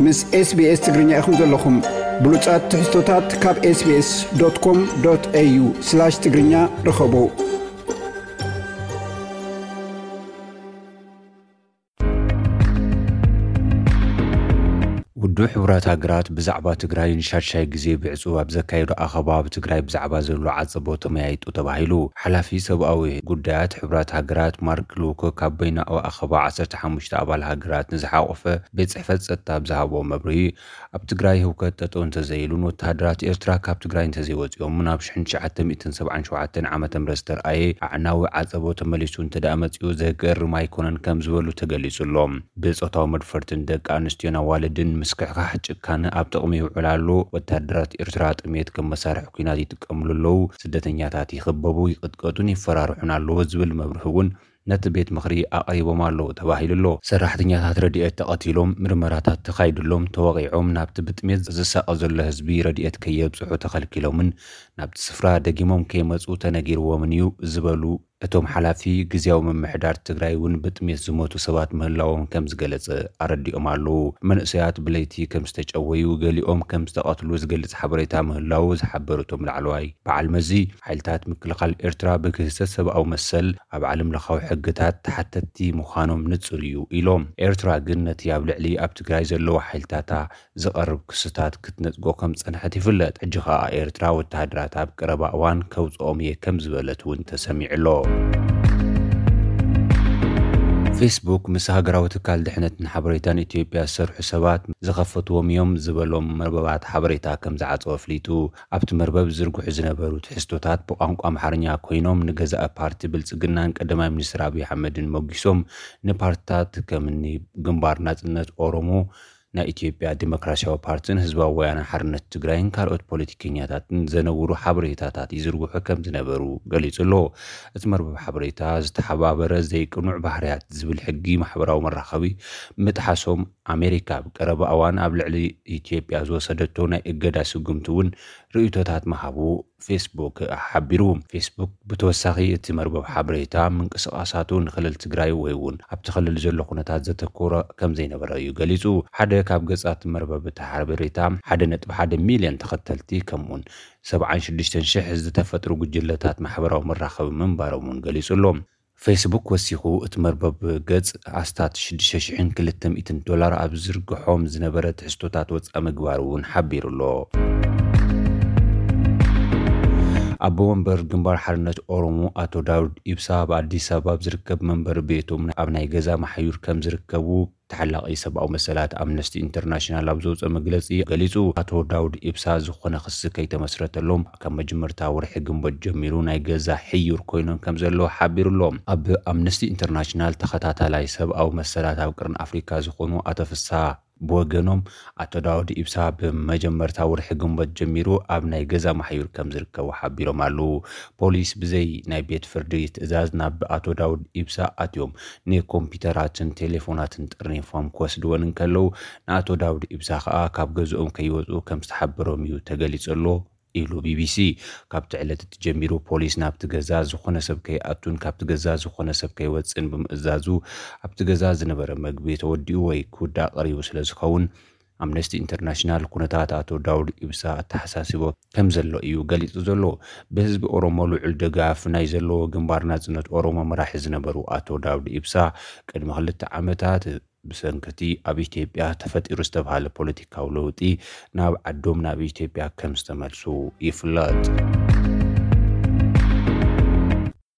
ምስ SBS ትግርኛ ኢኹም ዘለኹም። ብሉጻት ትሕዝቶታት ካብ SBS.com.au/ትግርኛ ርኸቡ። ውድብ ሕቡራት ሃገራት ብዛዕባ ትግራይ ንሻድሻይ ግዜ ብዕጹብ ኣብ ዘካየዶ ኣኸባ፣ ኣብ ትግራይ ብዛዕባ ዘሎ ዓጸቦ ተመያይጡ ተባሂሉ። ሓላፊ ሰብኣዊ ጉዳያት ሕቡራት ሃገራት ማርክ ሉኮክ ኣብ በይናዊ ኣኸባ ዓሰርተ ሓሙሽተ ኣባል ሃገራት ንዝሓቖፈ ቤት ጽሕፈት ጸጥታ ኣብ ዝሃቦ መብርሂ፣ ኣብ ትግራይ ህውከት ጠጠው እንተዘይሉን ወተሃደራት ኤርትራ ካብ ትግራይ እንተዘይወጺኦምን ኣብ ሽሕን ትሽዓተ ሚእትን ሰብዓን ሸውዓተን ዓመተ ምህረት ዝተርኣየ ኣዕናዊ ዓጸቦ ተመሊሱ እንተ ደኣ መጺኡ ዘገርም ኣይኮነን ከም ዝበሉ ተገሊጹ ኣሎ። ብጾታዊ መድፈርትን ደቂ ኣንስትዮን ኣዋልድን ምስክሕካሕ ጭካነ ኣብ ጥቕሚ ይውዕል ኣሎ። ወተሃደራት ኤርትራ ጥሜት ከም መሳርሒ ኲናት ይጥቀምሉ ኣለዉ። ስደተኛታት ይኽበቡ፣ ይቕጥቀጡን ይፈራርሑን ኣለዉ ዝብል መብርሂ እውን ነቲ ቤት ምኽሪ ኣቕሪቦም ኣለዉ ተባሂሉ ኣሎ። ሰራሕተኛታት ረድኤት ተቐቲሎም፣ ምርመራታት ተኻይዱሎም፣ ተወቒዖም፣ ናብቲ ብጥሜት ዝሳቐ ዘሎ ህዝቢ ረድኤት ከየብጽሑ ተኸልኪሎምን ናብቲ ስፍራ ደጊሞም ከይመጹ ተነጊርዎምን እዩ ዝበሉ እቶም ሓላፊ፣ ግዝያዊ ምምሕዳር ትግራይ እውን ብጥሜት ዝሞቱ ሰባት ምህላዎም ከም ዝገለጸ ኣረዲኦም ኣለዉ። መንእሰያት ብለይቲ ከም ዝተጨወዩ፣ ገሊኦም ከም ዝተቐትሉ ዝገልጽ ሓበሬታ ምህላዉ ዝሓበሩ እቶም ላዕለዋይ በዓል መዚ፣ ሓይልታት ምክልኻል ኤርትራ ብግህሰት ሰብኣዊ መሰል ኣብ ዓለም ለኻዊ ሕግታት ተሓተትቲ ምዃኖም ንጹር እዩ ኢሎም። ኤርትራ ግን ነቲ ኣብ ልዕሊ ኣብ ትግራይ ዘለዋ ሓይልታታ ዝቐርብ ክስታት ክትነጽጎ ከም ዝጸንሐት ይፍለጥ። ሕጂ ኸኣ ኤርትራ ወተሃደራት ኣብ ቀረባ እዋን ከውጽኦም እየ ከም ዝበለት እውን ተሰሚዑ ኣሎ። ፌስቡክ ምስ ሃገራዊ ትካል ድሕነትን ሓበሬታን ኢትዮጵያ ዝሰርሑ ሰባት ዝኸፈትዎም እዮም ዝበሎም መርበባት ሓበሬታ ከም ዝዓጸወ ኣፍሊጡ። ኣብቲ መርበብ ዝዝርግሑ ዝነበሩ ትሕዝቶታት ብቋንቋ ኣምሓርኛ ኮይኖም፣ ንገዛኢ ፓርቲ ብልጽግናን ቀዳማይ ሚኒስትር ኣብይ ኣሕመድን ሞጊሶም፣ ንፓርትታት ከምኒ ግንባር ናጽነት ኦሮሞ፣ ናይ ኢትዮጵያ ዲሞክራሲያዊ ፓርቲን ህዝባዊ ወያነ ሓርነት ትግራይን ካልኦት ፖለቲከኛታትን ዘነውሩ ሓበሬታታት ይዝርግሑ ከም ዝነበሩ ገሊጹ ኣሎ። እቲ መርበብ ሓበሬታ ዝተሓባበረ ዘይቅኑዕ ባህርያት ዝብል ሕጊ ማሕበራዊ መራኸቢ ምጥሓሶም፣ ኣሜሪካ ኣብ ቀረባ እዋን ኣብ ልዕሊ ኢትዮጵያ ዝወሰደቶ ናይ እገዳ ስጉምቲ እውን ርእይቶታት ምሃቡ ፌስቡክ ሓቢሩ። ፌስቡክ ብተወሳኺ እቲ መርበብ ሓበሬታ ምንቅስቓሳቱ ንክልል ትግራይ ወይ እውን ኣብቲ ክልል ዘሎ ኩነታት ዘተኮረ ከም ዘይነበረ እዩ ገሊጹ። ሓደ ካብ ገጻት መርበብ እቲ ሓበሬታ ሓደ ነጥቢ ሓደ ሚልዮን ተኸተልቲ ከምኡውን ሰብዓን ሽዱሽተን ሽሕ ዝተፈጥሩ ጉጅለታት ማሕበራዊ መራኸቢ ምንባሮም እውን ገሊጹ ኣሎ። ፌስቡክ ወሲኹ እቲ መርበብ ገጽ ኣስታት ሽዱሽተ ሽሕን ክልተ ሚእትን ዶላር ኣብ ዝዝርግሖም ዝነበረ ትሕዝቶታት ወጻኢ ምግባሩ እውን ሓቢሩ ኣሎ። ኣቦ ወንበር ግንባር ሓርነት ኦሮሞ ኣቶ ዳውድ ኢብሳ ኣብ ኣዲስ ኣበባ ኣብ ዝርከብ መንበሪ ቤቶም ኣብ ናይ ገዛ ማሕዩር ከም ዝርከቡ ተሓላቒ ሰብኣዊ መሰላት ኣምነስቲ ኢንተርናሽናል ኣብ ዘውፅኦ መግለፂ ገሊፁ። ኣቶ ዳውድ ኢብሳ ዝኾነ ክሲ ከይተመስረተሎም ካብ መጀመርታ ወርሒ ግንቦት ጀሚሩ ናይ ገዛ ሕዩር ኮይኖም ከም ዘለዉ ሓቢሩ ኣሎ። ኣብ ኣምነስቲ ኢንተርናሽናል ተኸታታላይ ሰብኣዊ መሰላት ኣብ ቅርን ኣፍሪካ ዝኾኑ ኣቶ ፍስሃ ብወገኖም፣ ኣቶ ዳውድ ኢብሳ ብመጀመርታ ወርሒ ግንቦት ጀሚሩ ኣብ ናይ ገዛ ማሕዩር ከም ዝርከቡ ሓቢሮም ኣለዉ። ፖሊስ ብዘይ ናይ ቤት ፍርዲ ትእዛዝ ናብ ኣቶ ዳውድ ኢብሳ ኣትዮም ንኮምፒውተራትን ቴሌፎናትን ጠርኒፎም ክወስድወን እንከለዉ፣ ንኣቶ ዳውድ ኢብሳ ከኣ ካብ ገዝኦም ከይወጹ ከም ዝተሓበሮም እዩ ተገሊጹ ኣሎ ኢሉ ቢቢሲ። ካብቲ ዕለት እቲ ጀሚሩ ፖሊስ ናብቲ ገዛ ዝኾነ ሰብ ከይኣቱን ካብቲ ገዛ ዝኾነ ሰብ ከይወጽእን ብምእዛዙ፣ ኣብቲ ገዛ ዝነበረ መግቢ ተወዲኡ ወይ ክውዳእ ቀሪቡ ስለ ዝኸውን፣ ኣምነስቲ ኢንተርናሽናል ኩነታት ኣቶ ዳውድ ኢብሳ ኣተሓሳሲቦ ከም ዘሎ እዩ ገሊጹ ዘሎ። ብህዝቢ ኦሮሞ ልዑል ደጋፍ ናይ ዘለዎ ግንባር ናጽነት ኦሮሞ መራሒ ዝነበሩ ኣቶ ዳውድ ኢብሳ፣ ቅድሚ ክልተ ዓመታት ብሰንኪ እቲ ኣብ ኢትዮጵያ ተፈጢሩ ዝተባህለ ፖለቲካዊ ለውጢ ናብ ዓዶም ናብ ኢትዮጵያ ከም ዝተመልሱ ይፍለጥ።